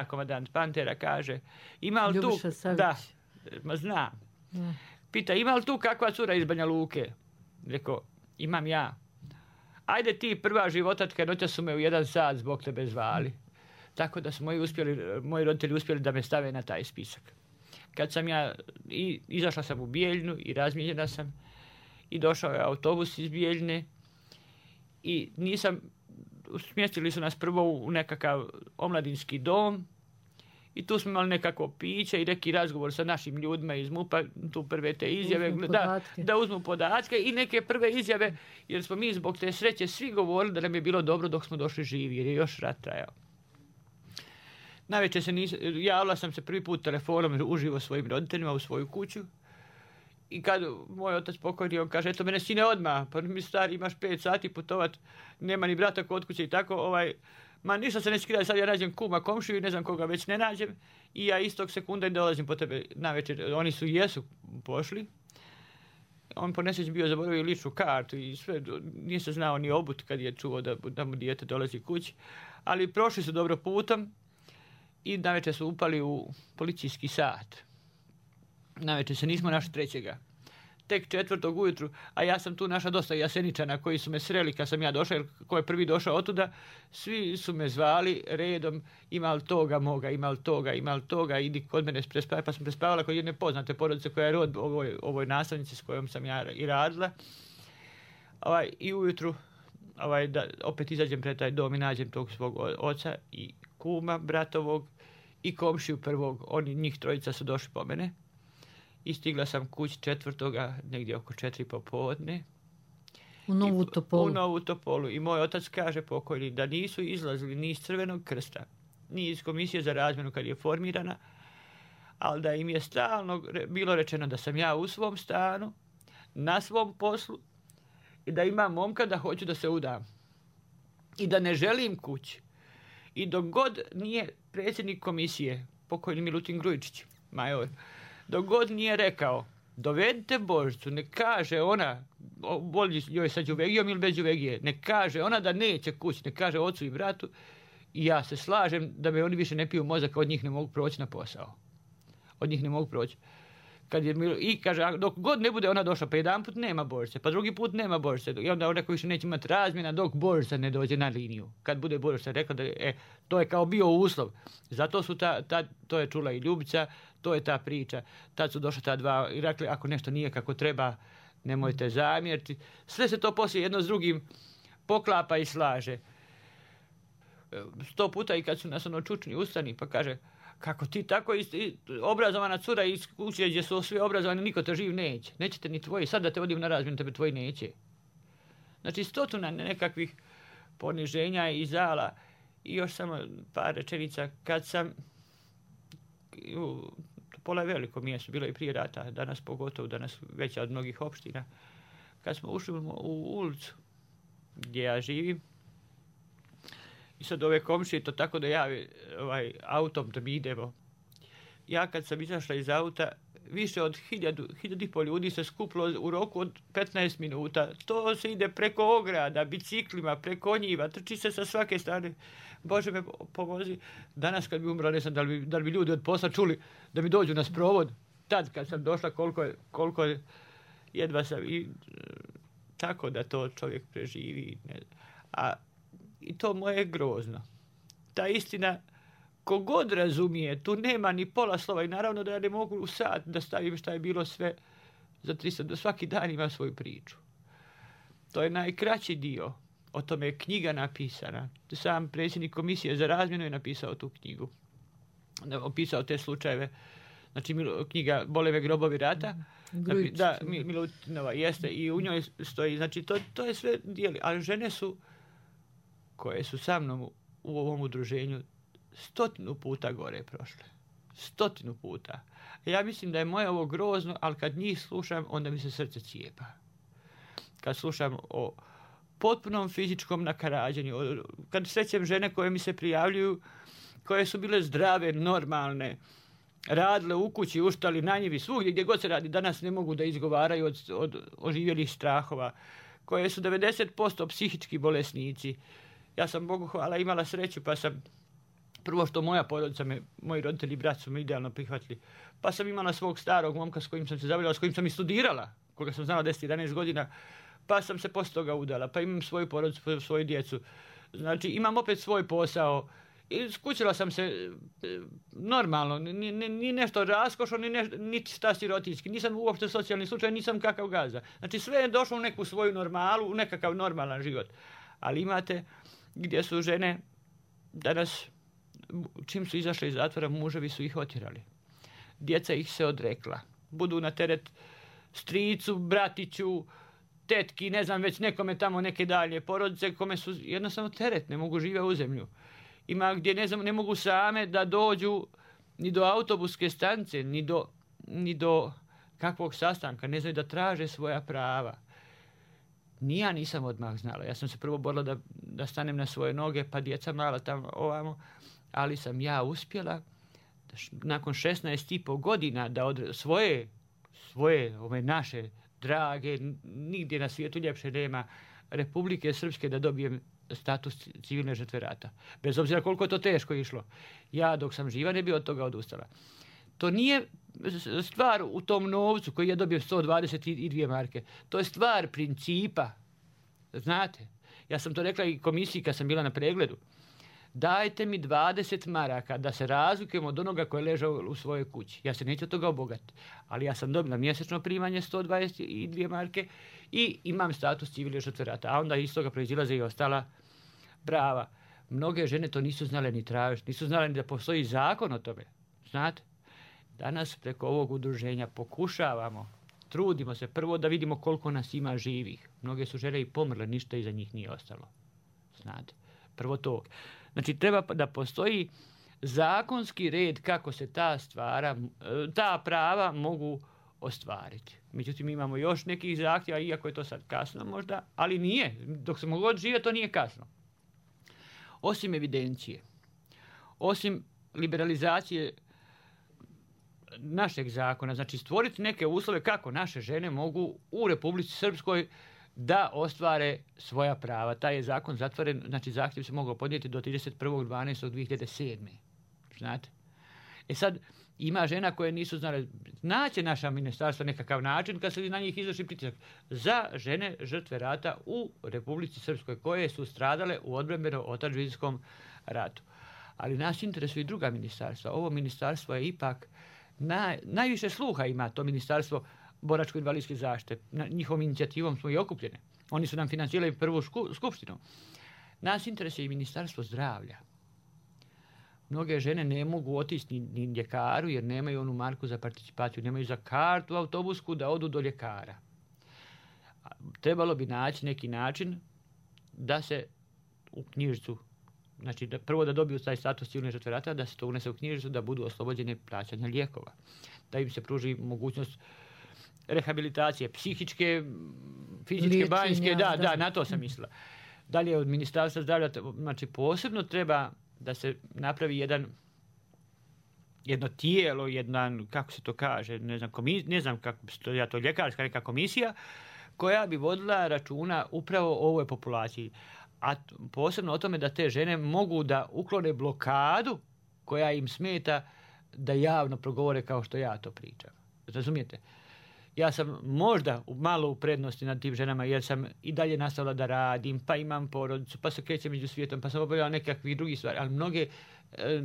komandant Pantera kaže, ima li tu, znam, pita, ima li tu kakva cura iz Banja Luke? Rekao, imam ja. Ajde ti, prva životatka, noća su me u 1 sat zbog tebe zvali. Tako da su moji roditelji uspjeli da me stave na taj spisak. Kad sam ja, izašla sam u Bijeljinu i razmijenjena sam i došao je autobus iz Bijeljine i smjestili su nas prvo u nekakav omladinski dom i tu smo imali nekako piće i neki razgovor sa našim ljudima iz MUP-a, tu prve te izjave, da uzmu podatke i neke prve izjave, jer smo mi zbog te sreće svi govorili da nam je bilo dobro dok smo došli živi, jer je još rat trajao. Navečer javila sam se prvi put telefonom uživo svojim roditeljima u svoju kuću i kad moj otac pokojni, on kaže, eto mene sine odmah, pa mi stari imaš 5 sati putovat, nema ni brata kod kuće i tako, Ma ništa se neće skidati, sad ja nađem kuma, komšiju i ne znam koga već ne nađem i ja istog sekunda i dolazim po tebe na večer. Oni jesu pošli. On po nesreći bio zaboravio ličnu kartu i sve, nije se znao ni obut kad je čuo da mu dijete dolazi kući. Ali prošli su dobro putom i navečer su upali u policijski sat. Navečer se nismo našli trećega. Tek 4. ujutru, a ja sam tu našla dosta Jaseničana koji su me sreli kad sam ja došao, jer ko je prvi došao otuda, svi su me zvali redom, ima li toga moga, ima li toga, idi kod mene prespavaj, pa sam prespavala kod jedne poznate porodice koja je rod ovoj nastavnici s kojom sam ja i radila. I ujutru da opet izađem pred taj dom i nađem tog svog oca i kuma bratovog i komšiju prvog, njih trojica su došli po mene. I stigla sam kući 4. negdje oko 4 popodne. U Novu Topolu. U Novu Topolu. I moj otac kaže pokojni da nisu izlazili ni iz Crvenog krsta, ni iz komisije za razmjenu kad je formirana, ali da im je stalno bilo rečeno da sam ja u svom stanu, na svom poslu i da imam momka da hoću da se udam. I da ne želim kući. I dok god nije predsjednik komisije, pokojni Milutin Grujičić, major, dok god nije rekao, dovedite Božicu, ne kaže ona, bolji joj sa đuvegijom ili bez đuvegije, ne kaže ona da neće kući, ne kaže ocu i bratu, i ja se slažem da me oni više ne piju mozak, od njih ne mogu proći na posao. Od njih ne mogu proći. I kaže, dok god ne bude ona došla, pa jedan put nema Božice, pa drugi put nema Božice, i onda ona koji više neće imati razmjena dok Božica ne dođe na liniju. Kad bude Božica rekla da to je kao bio uslov. Zato su to je čula i Ljubica, to je ta priča. Tad su došla ta dva i rekli, ako nešto nije kako treba, nemojte zamjeriti. Sve se to poslije jedno s drugim poklapa i slaže. 100 puta i kad su nas čučni ustani, pa kaže, kako ti tako obrazovana cura iz kuće gdje su svi obrazovani, niko te živ neće. Nećete ni tvoji, sad da te vodim na razmjenu, tebe tvoji neće. Znači 100 nekakvih poniženja i zala. I još samo par rečenica, kad sam Topola je veliko mjesto, bilo i prije rata, danas pogotovo, danas veća od mnogih opština. Kad smo ušli u ulicu gdje ja živim, i sad ove komšije to tako da javi autom da mi idemo. Ja kad sam izašla iz auta, više od 1000 ljudi se skupilo u roku od 15 minuta. To se ide preko ograda, biciklima, preko njiva, trči se sa svake strane. Bože me pomozi. Danas kad bi umro, ne znam da li bi ljudi od posla čuli da mi dođu na sprovod. Tad kad sam došla, koliko jedva sam i tako da to čovjek preživi. I to moje je grozno. Ta istina, kogod razumije, tu nema ni pola slova i naravno da ja ne mogu u sat da stavim šta je bilo sve za 300, da svaki dan ima svoju priču. To je najkraći dio. O tome je knjiga napisana. Sam predsjednik komisije za razmjenu je napisao tu knjigu. Opisao te slučajeve. Znači knjiga Boleve grobovi rata. Da, Milutinova jeste i u njoj stoji. Znači to je sve dijeli. Ali žene su koje su sa mnom u ovom udruženju 100 puta gore prošle. 100 puta. Ja mislim da je moje ovo grozno, ali kad njih slušam, onda mi se srce cijepa. Kad slušam o potpunom fizičkom nakarađenju, kad srećem žene koje mi se prijavljuju, koje su bile zdrave, normalne, radile u kući, uštali na njivi, svugdje gdje god se radi, danas ne mogu da izgovaraju od oživjelih strahova, koje su 90% psihički bolesnici. Ja sam, Bogu hvala, imala sreću, pa sam, prvo što moja porodica, moji roditelji i brat su me idealno prihvatili, pa sam imala svog starog momka s kojim sam se zavoljela, s kojim sam i studirala, koga sam znala 10-11 godina, pa sam se poslije toga udala, pa imam svoju porodicu, svoju djecu. Znači, imam opet svoj posao i skućila sam se normalno, ni nešto raskošno, ni šta sirotinski, nisam uopšte socijalni slučaj, nisam kakav gaza. Znači, sve je došlo u neku svoju normalu, u nekakav normalan život. Ali imate gdje su žene danas, čim su izašle iz zatvora, muževi su ih otjerali. Djeca ih se odrekla. Budu na teret stricu, bratiću, tetki, ne znam već nekome tamo neke dalje porodice kome su jednostavno teret, ne mogu živjeti u zemlju. Ima gdje ne mogu same da dođu ni do autobuske stanice, ni do kakvog sastanka, ne znaju da traže svoja prava. Ni ja nisam odmah znala. Ja sam se prvo borila da stanem na svoje noge, pa djeca mala tamo ovamo, ali sam ja uspjela nakon 16,5 godina da od svoje ove naše drage, nigdje na svijetu ljepše nema, Republike Srpske, da dobijem status civilne žrtve rata. Bez obzira koliko je to teško išlo. Ja dok sam živa ne bi od toga odustala. To nije stvar u tom novcu koji ja dobijem 122 marke. To je stvar principa. Znate, ja sam to rekla i komisiji kad sam bila na pregledu. Dajte mi 20 maraka da se razlikujem od onoga koji je ležao u svojoj kući. Ja se neću od toga obogatiti. Ali ja sam dobila mjesečno primanje 122 marke i imam status civilne žrtve rata. A onda iz toga proizilaze i ostala prava. Mnoge žene to nisu znale ni tražiti. Nisu znale ni da postoji zakon o tome. Znate? Danas preko ovog udruženja pokušavamo, trudimo se prvo da vidimo koliko nas ima živih. Mnoge su žene i pomrle, ništa iza njih nije ostalo. Znate? Prvo to. Znači, treba da postoji zakonski red kako se ta prava mogu ostvariti. Međutim, imamo još nekih zahtjeva, iako je to sad kasno možda, ali nije. Dok se mogu živjeti, to nije kasno. Osim evidencije, osim liberalizacije našeg zakona, znači stvoriti neke uslove kako naše žene mogu u Republici Srpskoj da ostvare svoja prava. Taj je zakon zatvoren, znači zahtjev se mogao podnijeti do 31.12.2007. Znate? E sad, ima žena koje nisu znale, naće naša ministarstva nekakav način kad se na njih izvrši pritisak za žene žrtve rata u Republici Srpskoj koje su stradale u odbrambeno-otadžbinskom ratu. Ali nas interesuje i druga ministarstva. Ovo ministarstvo je ipak najviše sluha ima, to ministarstvo boračko-invalidske zaštite. Njihovom inicijativom smo i okupljene. Oni su nam financirali prvu skupštinu. Nas interesuje i ministarstvo zdravlja. Mnoge žene ne mogu otići ni ljekaru jer nemaju onu marku za participaciju, nemaju za kartu autobusku da odu do ljekara. Trebalo bi naći neki način da se u knjižicu, znači prvo da dobiju taj status civilne žrtve rata, da se to unese u knjižicu, da budu oslobođene plaćanja lijekova. Da im se pruži mogućnost rehabilitacije, psihičke, fizičke, liječenja, banjske, da, na to sam mislila. Dalje od Ministarstva zdravlja, znači posebno treba da se napravi jedno tijelo, kako se to kaže, ne znam kako je to ljekarska neka komisija, koja bi vodila računa upravo o ovoj populaciji. A posebno o tome da te žene mogu da uklone blokadu koja im smeta da javno progovore kao što ja to pričam. Razumijete? Ja sam možda malo u prednosti nad tim ženama jer sam i dalje nastavila da radim, pa imam porodicu, pa se krećem među svijetom, pa sam obavljala nekakvih drugih stvari, ali mnoge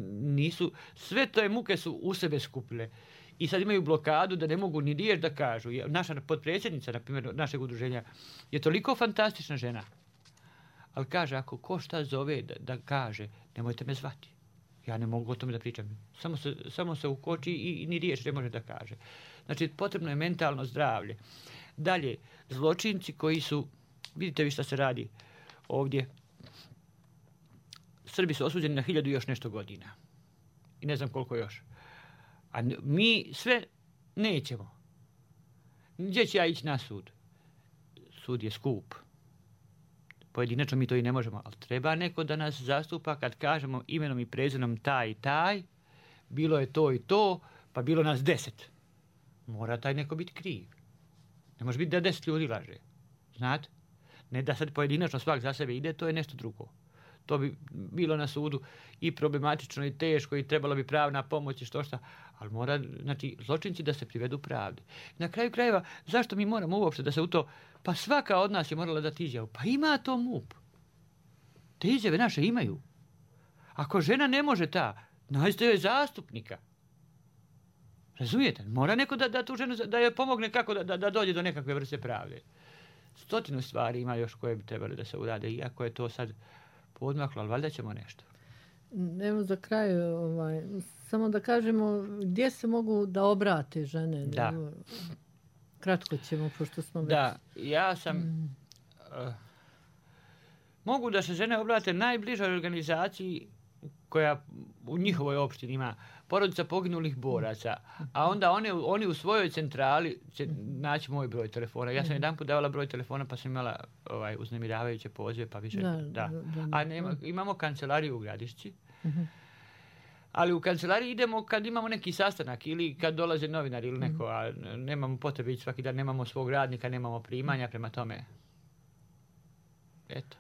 nisu, sve te muke su u sebe skupile. I sad imaju blokadu da ne mogu ni riječ da kažu. Naša potpredsjednica, na primjer, našeg udruženja, je toliko fantastična žena. Ali kaže, ako ko šta zove da kaže, nemojte me zvati. Ja ne mogu o tome da pričam. Samo se ukoči i ni riječ ne može da kaže. Znači, potrebno je mentalno zdravlje. Dalje, zločinci koji su, vidite vi šta se radi ovdje. Srbi su osuđeni na 1000 i još nešto godina. I ne znam koliko još. A mi sve nećemo. Gdje će ja ići na sud? Sud je skup. Pojedinačno mi to i ne možemo, ali treba neko da nas zastupa kad kažemo imenom i prezimenom taj i taj, bilo je to i to, pa bilo nas 10. Mora taj neko biti kriv. Ne može biti da 10 ljudi laže. Znate? Ne da sad pojedinačno svak za sebe ide, to je nešto drugo. To bi bilo na sudu i problematično i teško i trebalo bi pravna pomoć i što šta. Ali mora, znači, zločinci da se privedu pravdi. Na kraju krajeva, zašto mi moramo uopšte da se u to... Pa svaka od nas je morala dati izjavu. Pa ima to MUP. Te izjave naše imaju. Ako žena ne može nađite joj zastupnika. Razumijete? Mora neko da tu ženu, da joj pomogne kako da dođe do nekakve vrste pravde. 100 stvari ima još koje bi trebali da se urade, iako je to sad podmaklo, ali valjda ćemo nešto. Evo za kraj, samo da kažemo gdje se mogu da obrate žene. Da. Kratko ćemo, pošto smo već... Da, ja sam... mogu da se žene obrate najbližoj organizaciji koja u njihovoj opštini ima porodica poginulih boraca, a onda oni u svojoj centrali će naći moj broj telefona. Ja sam jedanput davala broj telefona pa sam imala uznemiravajuće pozive, pa više... A imamo kancelariju u Gradišci, ali u kancelariji idemo kad imamo neki sastanak ili kad dolaze novinari ili neko, a nemamo potrebe ići svaki dan, nemamo svog radnika, nemamo primanja, prema tome. Eto.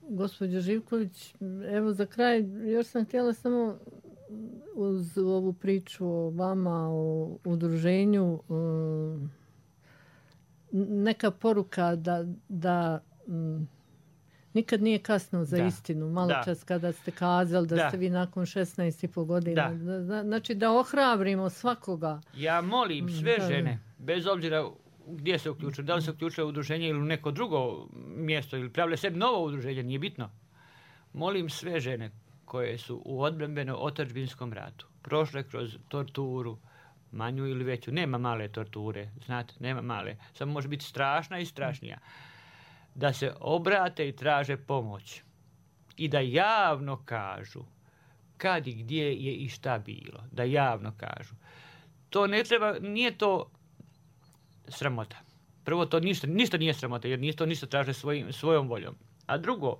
Gospođo Živković, evo za kraj, još sam htjela samo uz ovu priču o vama, o udruženju, neka poruka da nikad nije kasno za istinu. Malo čas kada ste kazali da ste vi nakon 16,5 godina. Znači da ohrabrimo svakoga. Ja molim sve žene, bez obzira gdje se uključuju, da li se uključuje u udruženje ili u neko drugo mjesto ili pravile sebi novo udruženje, nije bitno. Molim sve žene koje su u odbrambeno-otadžbinskom ratu prošle kroz torturu, manju ili veću, nema male torture, znate, nema male, samo može biti strašna i strašnija, da se obrate i traže pomoć i da javno kažu kad i gdje je i šta bilo, da javno kažu. To ne treba, nije to sramota. Prvo, to ništa nije sramota, jer to ništa traže svojom voljom. A drugo,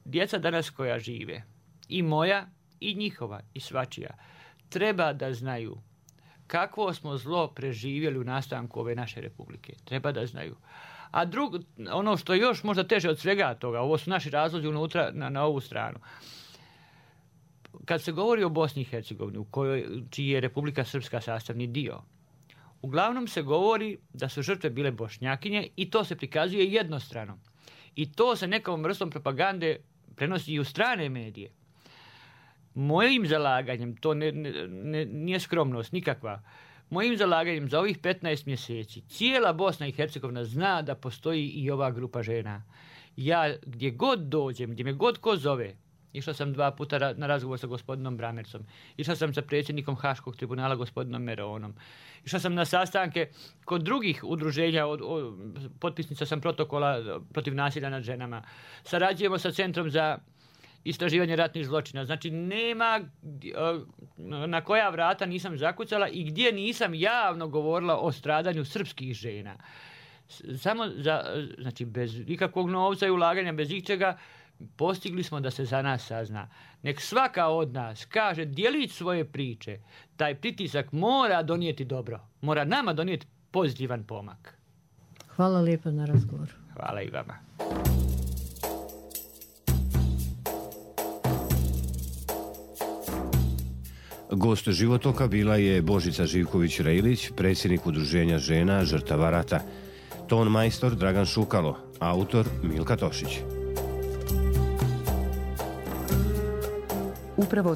djeca danas koja žive, i moja, i njihova, i svačija, treba da znaju kakvo smo zlo preživjeli u nastanku ove naše republike. Treba da znaju. A drugo, ono što je još možda teže od svega toga, ovo su naši razlozi unutra na ovu stranu. Kad se govori o Bosni i Hercegovini, čiji je Republika Srpska sastavni dio, uglavnom se govori da su žrtve bile Bošnjakinje i to se prikazuje jednostrano. I to se nekom vrstom propagande prenosi i u strane medije. Mojim zalaganjem, to nije skromnost nikakva, mojim zalaganjem za ovih 15 mjeseci cijela Bosna i Hercegovina zna da postoji i ova grupa žena. Ja gdje god dođem, gdje me god ko zove, išla sam 2 puta na razgovor sa gospodinom Bramercom, išla sam sa predsjednikom Haškog tribunala gospodinom Meronom, išla sam na sastanke kod drugih udruženja, potpisnica sam protokola protiv nasilja nad ženama, sarađujemo sa Centrom za istraživanje ratnih zločina. Znači, nema na koja vrata nisam zakucala i gdje nisam javno govorila o stradanju srpskih žena. Samo znači, bez ikakvog novca i ulaganja, bez ičega, postigli smo da se za nas sazna. Nek svaka od nas kaže djelić svoje priče. Taj pritisak mora donijeti dobro. Mora nama donijeti pozitivan pomak. Hvala lijepo na razgovoru. Hvala i vama. Gost Životoka bila je Božica Živković-Rejlić, predsjednik Udruženja žena žrtava rata. Ton majstor Dragan Šukalo, autor Milka Tošić. Upravo